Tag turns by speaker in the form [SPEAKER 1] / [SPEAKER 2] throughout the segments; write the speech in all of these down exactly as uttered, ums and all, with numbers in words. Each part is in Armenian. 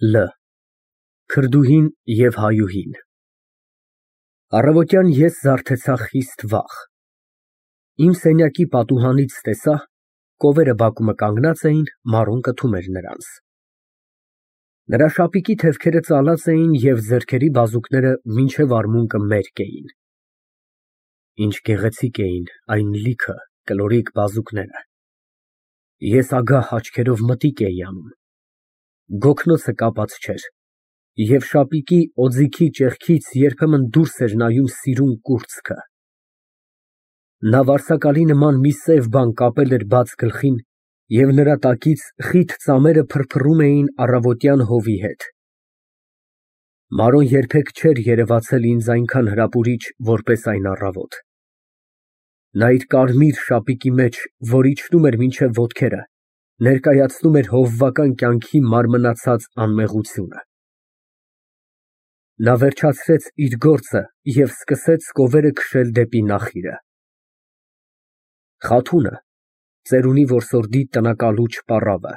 [SPEAKER 1] Լ Քրդուհին և հայուհին Առավոտյան ես զարթեցա խիստ վաղ։ Իմ սենյակի պատուհանից տեսա, կովերը բակումը կանգնած էին, Մարոն կթում էր նրանց։ Նրա շապիկի թևքերը ծալած էին և ձեռքերի բազուկները մինչև արմունկը մերկ էին։ Ինչ գեղեցիկ էին այն լիքը կլորիկ բազուկները։ Ես ագահ աչքերով մտիկ էի անում։ Գոգնոցը կապած չէր, և շապիկի օձիքի ճեղքից երբեմն դուրս էր նայում սիրուն կուրծքը։ Նա վարսակալի նման մի սև բան կապել էր բաց գլխին, և նրա տակից խիտ ծամերը փրփռում էին առավոտյան հովի հետ։ Մարոն երբեք չէր երևացել ինձ այնքան հրապուրիչ, որպես այն առավոտ։ Նա իր կարմիր շապիկի մեջ, որ իջնում էր մինչև ոտքերը, ներկայացնում էր հովվական կյանքի մարմնացած անմեղությունը։ Նա վերջացրեց իր գործը և սկսեց կովերը քշել դեպի նախիրը։ Խաթունը, ծերունի որսորդի տնակալուչ պառավը,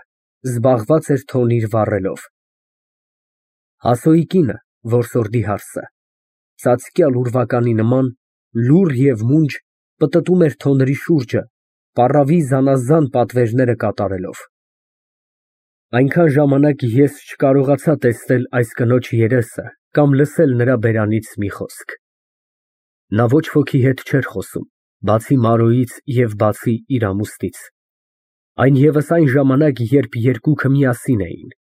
[SPEAKER 1] զբաղված էր թոնիր վառելով։ Հասոյի կինը, որսորդի հարսը, ծածկյալ ուրվականի նման, լուռ և մունջ պտտում էր թոնրի շուրջը, պառավի զանազան պատվերները կատարելով։ Այնքան ժամանակ ես չկարողացա տեսնել այս կնոջ երեսը կամ լսել նրա բերանից մի խոսք։ Նա ոչ ոքի հետ չէր խոսում, բացի Մարոյից և բացի իր ամուսնից, այն ևս այն ժամանակ, երբ երկուքը միասին էին,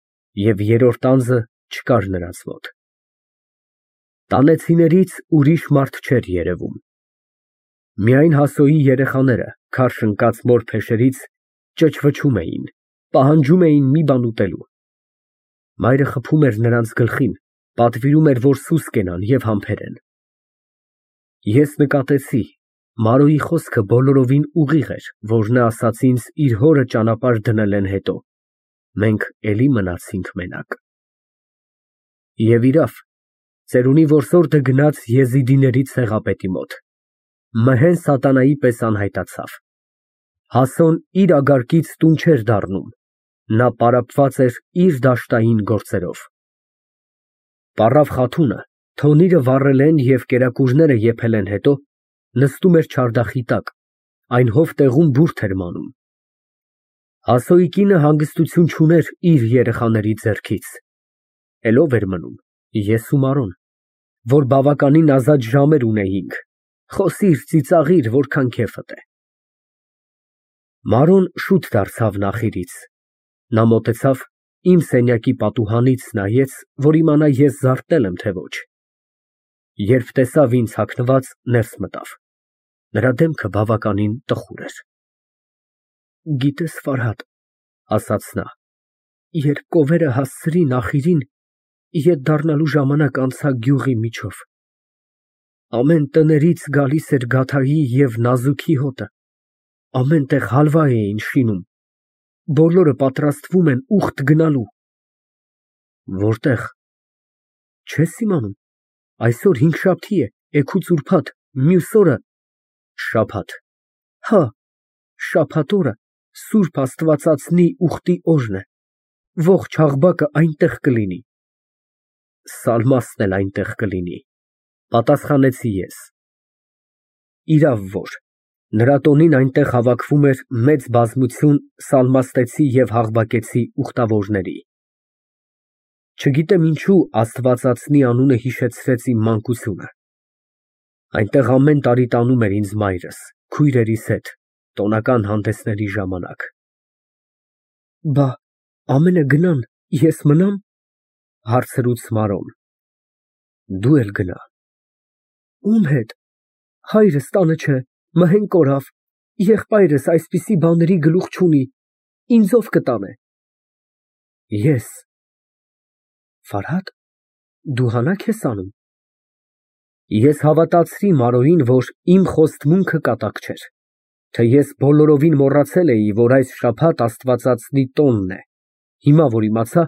[SPEAKER 1] և երրորդ անձը չկար նրանց մոտ։ Տանեցիներից ուրիշ մարդ չէր երևում։ Միայն Հասոյի երեխաները, քարշ ընկած մոր փեշերից, ճչվչում էին, պահանջում էին մի բան ուտելու։ Մայրը խփում էր նրանց գլխին, պատվիրում էր, որ սուս կենան և համբերեն։ Ես նկատեցի, Մարոյի խոսքը բոլորովին ուղիղ էր, որ նա ասաց ինձ իր հորը ճանապարհ դնելեն հետո, մենք էլի մնացինք մենակ։ Եվ իրավ, ծերունի որսորդը գնաց եզիդիների ցեղապետի մոտ, մհեն սատանայի պես անհայտացավ։ Հասոն իր ագարկից տուն չէր դառնում, նա պարապված էր իր դաշտային գործերով։ Պառավ Խաթունը, թոնիրը վառելեն և կերակուրները եփելեն հետո, նստում էր չարդախի տակ, այն հովտեղում բուրդ էր մանում։ Հասոյի կինը հանգստություն չուներ իր երեխաների ձեռքից։ Էլ ո՞վ էր մնում, ես ու Մարոն, որ բավականին ազատ ժամեր ունեինք, խոսիր, ծիծաղիր, որքան քեֆդ է։ Մարոն շուտ դարձավ նախիրից։ Նա մոտեցավ, իմ սենյակի պատուհանից նայեց, որ իմանա ես զարթնել եմ, թե ոչ։ Երբ տեսավ ինձ հագնված, ներս մտավ։ Նրա դեմքը բավականին տխուր էր։ Գիտես, Ֆարհադ, ասաց նա, երբ կովերը հասցրի նախիրին, ետ դառնալու ժամանակ անցա գյուղի միջով։ Ամեն տներից գալիս էր գաթայի և նազուքի հոտը, ամեն տեղ հալվա էին շինում, բոլորը պատրաստվում են ուխտ գնալու։ Որտե՞ղ։ Չես իմանում, այսօր հինգշաբթի է, էգուց ուրբաթ, մյուս օրը… Շաբաթ։ Հա, շաբաթ օրը սուրբ աստվածածնի ուխտի օրն է, ողջ Աղբակը այնտեղ կլինի։ Սալմաստն էլ այնտեղ կլինի, պատասխանեցի ես։ Իրավ որ, նրա տոնին այնտեղ հավաքվում էր մեծ բազմություն սալմաստեցի և հաղվակեցի ուխտավորների։ Չգիտեմ ինչու աստվածածնի անունը հիշեցրեց իմ մանկությունը։ Այնտեղ ամեն տարի տանում էր ինձ մայրս, քույրերիս հետ, տոնական հանդեսների ժամանակ։ Բա ամենը գնան, ես մնա՞մ, հարցրուց Մարոն։ Դու էլ գնա։ Ո՞ւմ հետ։ Հայրս տանը չէ, մհեն կորավ, եղբայրս այսպիսի բաների գլուխ չունի, ինձ ո՞վ կտանե։ Ես։ Ֆարհադ, դու հանա՞ք ես անում։ Ես հավատացրի Մարոյին, որ իմ խոստմունքը կատակ չէր, թե ես բոլորովին մոռացել էի, որ այս շաբաթ աստվածածնի տոնն է, հիմա որ իմացա,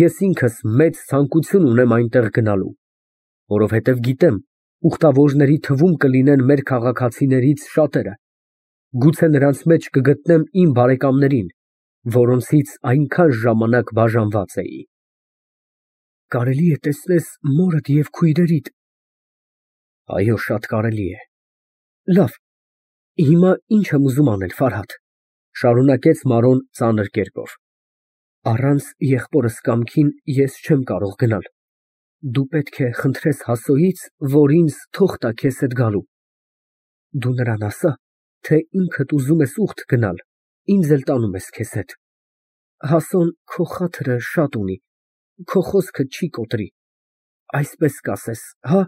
[SPEAKER 1] ես ինքս մեծ ցանկություն ունեմ այնտեղ գնալու, որովհետև գիտեմ, ուխտավորների թվում կլինեն մեր քաղաքացիներից շատերը, գուցե նրանց մեջ կգտնեմ իմ բարեկամներին, որոնցից այնքան ժամանակ բաժանված էի։ կարելի է տեսնես մորդ և քույրերիդ։ Այո, շատ կարելի է։ Լավ, հիմա ինչ եմ ուզում անել, Ֆարհադ, շարունակեց Մարոն ծանր կերպով։ Առանց եղբորս կամքին ես չեմ կարող գնալ։ Դու պետք է խնդրես Հասոյից, որ ինձ թող տա քեզ հետ գալու։ Դու նրան ասա, թե ինքդ ուզում ես ուխտ գնալ, ինձ էլ տանում ես քեզ հետ։ Հասոն քո խաթրը շատ ունի, քո խոսքը չի կոտրի, այսպես կասես, հա՞։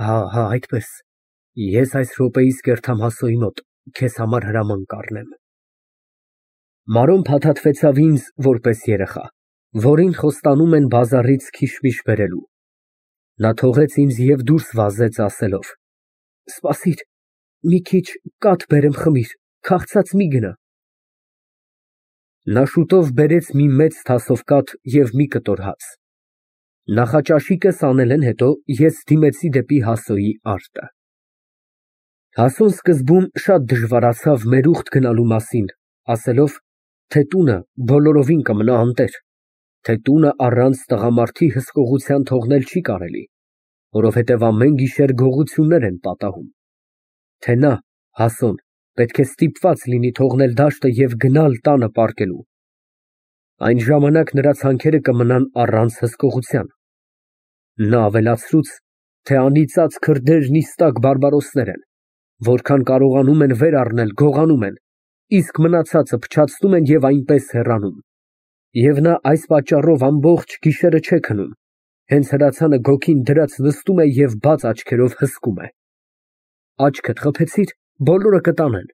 [SPEAKER 1] Հա, հա, այդպես, ես այս րոպեիս կերթամ Հասոյի մոտ, քեզ համար հրաման կառնեմ։ Մարոն փաթաթվեցավ ինձ որպես երեխա, որին խոստանում են բազարից քիշմիշ բերելու։ Նա թողեց ինձ և դուրս վազեց ասելով. Սպասիր, մի քիչ կաթ բերեմ խմիր, քաղցած մի գնա։ Նա շուտով բերեց մի մեծ թասով կաթ և մի կտոր հաց։ Նախաճաշիկս անել են հետո ես դիմեցի դեպի Հասոյի արտը։ Հասոն սկզբում շատ դժվարացավ մեր ուխտ գնալու մասին, ասելով, թե տունը բոլորովին կմնա անտեր, թե տունը առանց տղամարդի հսկողության թողնել չի կարելի, որովհետև ամեն գիշեր գողություններ են պատահում, թե նա, Հասոն, պետք է ստիպված լինի թողնել դաշտը և գնալ տանը պառկելու։ Այն ժամանակ նրա ցանքերը կմնան առանց հսկողության։ Նա ավելացրուց, թե անիծած քրդերն իստակ բարբարոսներ են, որքան կարողանում են վեր առնել, գողանում են, իսկ մնացածը փչացնում են և այնպես հեռանում։ Եվ նա այս պատճառով ամբողջ գիշերը չէ քնում, հենց հրացանը գոգին դրած նստում է և բաց աչքերով հսկում է։ Աչքդ խփեցի՞ր, բոլորը կտանեն։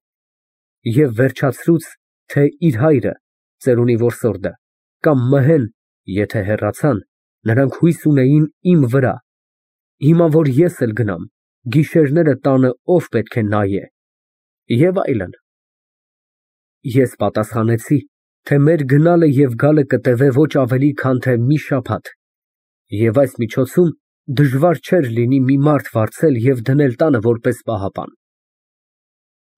[SPEAKER 1] Եվ վերջացրուց, թե իր հայրը, ծերունի որսորդը, կամ մհեն, եթե հեռացան, նրանք հույս ունեին իմ վրա։ Հիմա, որ ես էլ գնամ, գիշերները տանը ով պետք է նայե։ Եվ այլն։ Ես պատասխանեցի, թե մեր գնալը և գալը կտևե ոչ ավելի, քան թե մի շաբաթ, և այս միջոցում դժվար չէր լինի մի մարդ վարձել և դնել տանը որպես պահապան։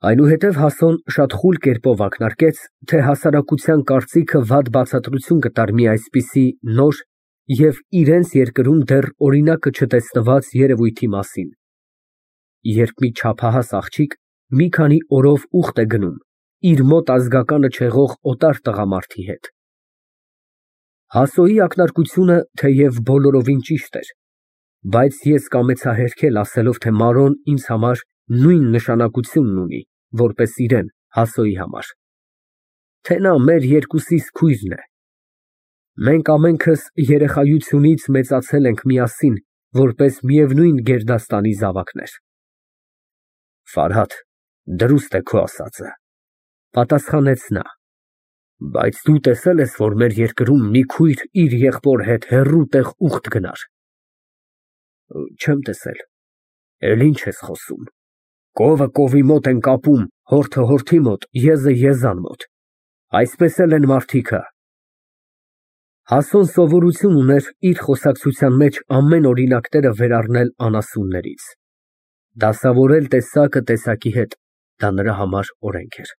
[SPEAKER 1] Այնուհետև Հասոն շատ խուլ կերպով ակնարկեց, թե հասարակության կարծիքը վատ բացատրություն կտար մի այսպիսի նոր և իրենց երկրում դեռ օրինակը չտեսնված երևույթի մասին, երբ մի չափահաս աղջիկ մի քանի օրով ուխտ է գնում իր մոտ ազգականը չեղող օտար տղամարդի հետ։ Հասոյի ակնարկությունը թեև բոլորովին ճիշտ էր, բայց ես կամեցա հերքել, ասելով, թե Մարոն ինձ համար նույն նշանակությունն ունի, որպես իրեն Հասոյի համար, թե նա մեր երկուսիս քույրն է։ Մենք ամենքս երեխայությունից մեծացել ենք միասին, որպես միևնույն գերդաստանի զավակներ։ Ֆարհադ, դրուստ է քո ասածը, պատասխանեց նա, բայց դու տեսել ես, որ մեր երկրում մի քույր իր եղբոր հետ հեռու տեղ ուխտ գնար։ Չեմ տեսել։ Էլ ինչ ես խոսում։ Կովը կովի մոտ են կապում, հորթը հորթի մոտ, եզը եզան մոտ, այսպես էլ են մարդիկը։ Հասոն սովորություն ուներ իր խոսակցության մեջ ամեն օրինակները վերառնել անասուններից։ Դասավորել տեսակը տեսակի հետ, դա նրա համար օրենք էր։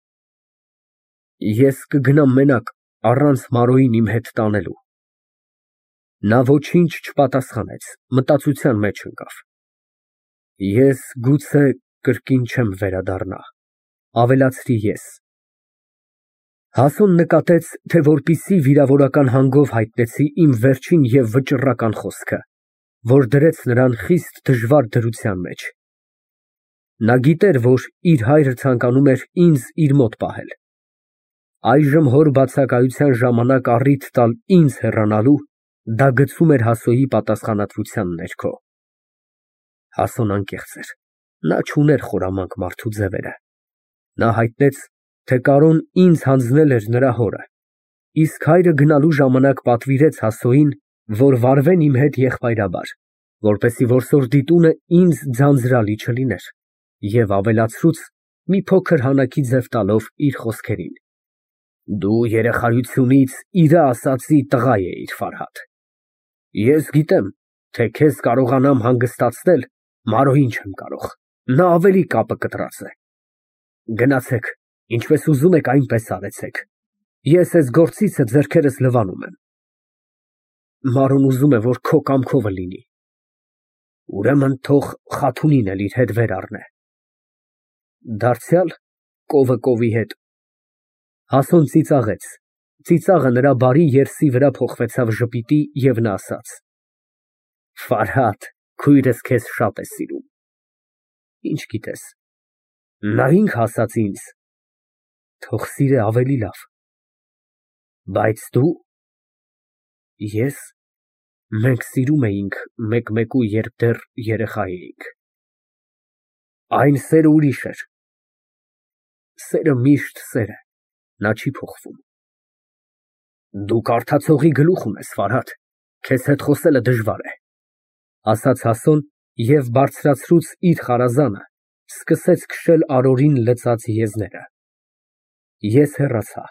[SPEAKER 1] Ես կգնամ մենակ, առանց Մարոյին իմ հետ տանելու։ Նա ոչինչ չպատասխանեց, մտածության մեջ ընկավ։ Ես գուցե կրկին չեմ վերադառնա, ավելացրի ես։ Հասոն նկատեց, թե որպեսզի վիրավորական հանգով հայտնեցի իմ վերջին և վճռական խոսքը, որ դրեց նրան խիստ դժվար դրության մեջ։ Նա գիտեր, որ իր հայրը ցանկանում էր ինձ իր մոտ պահել։ Այժմ հոր բացակայության ժամանակ առիթ տալ ինձ հեռանալու, դա գցում էր Հասոյի պատասխանատվության ներքո։ Հասոն անկեղծ էր, նա չուներ խորամանկ մարդու ձևերը։ Նա հայտնեց, թե Կարոն ինձ հանձնել էր նրա հորը, իսկ հայրը գնալու ժամանակ պատվիրեց Հասոյին, որ վարվեն իմ հետ եղբայրաբար, որպեսզի որսորդի տունը ինձ ձանձրալի չլիներ, և ավելացրուց, մի փոքր հանակի ձև տալով իր խոսքերին. Դու երեխայությունից իրա ասածի տղա էիր, Ֆարհադ։ Ես գիտեմ, թե քեզ կարողանամ հանգստացնել, Մարոյին չեմ կարող, նա ավելի կապը կտրած է։ Գնացեք, ինչպես ուզում եք, այնպես արեցեք, ես էս գործիցը ձեռքերս լվանում եմ։ Մարոն ուզում է, որ քո կամքովը լինի։ Ուրեմն թող Խաթունին էլ իր հետ վեր առնե։ Դարձյալ կովը կովի հետ։ Հասուն ծիծաղեց, ծիծաղը նրա բարի երեսի վրա փոխվեցավ ժպիտի, և նա ասաց. Ֆարհադ, քույրս քեզ շատ է սիրում։ Ինչ գիտես, նա ինք ասաց ինձ, թող սիրե ավելի լավ։ Բայց դու… Ես… մենք սիրում էինք մեկ֊մեկու, երբ դեռ երեխա էինք։ Այն սերը ուրիշ էր։ Սերը միշտ սեր է, նա չի փոխվում։ Դու կարդացողի գլուխ ունես, Ֆարհադ, քեզ հետ խոսելը դժվար է, ասաց Հասոն և բարձրացրուց իր խարազանը, սկսեց քշել արորին լցած եզները։ Ես հեռացա։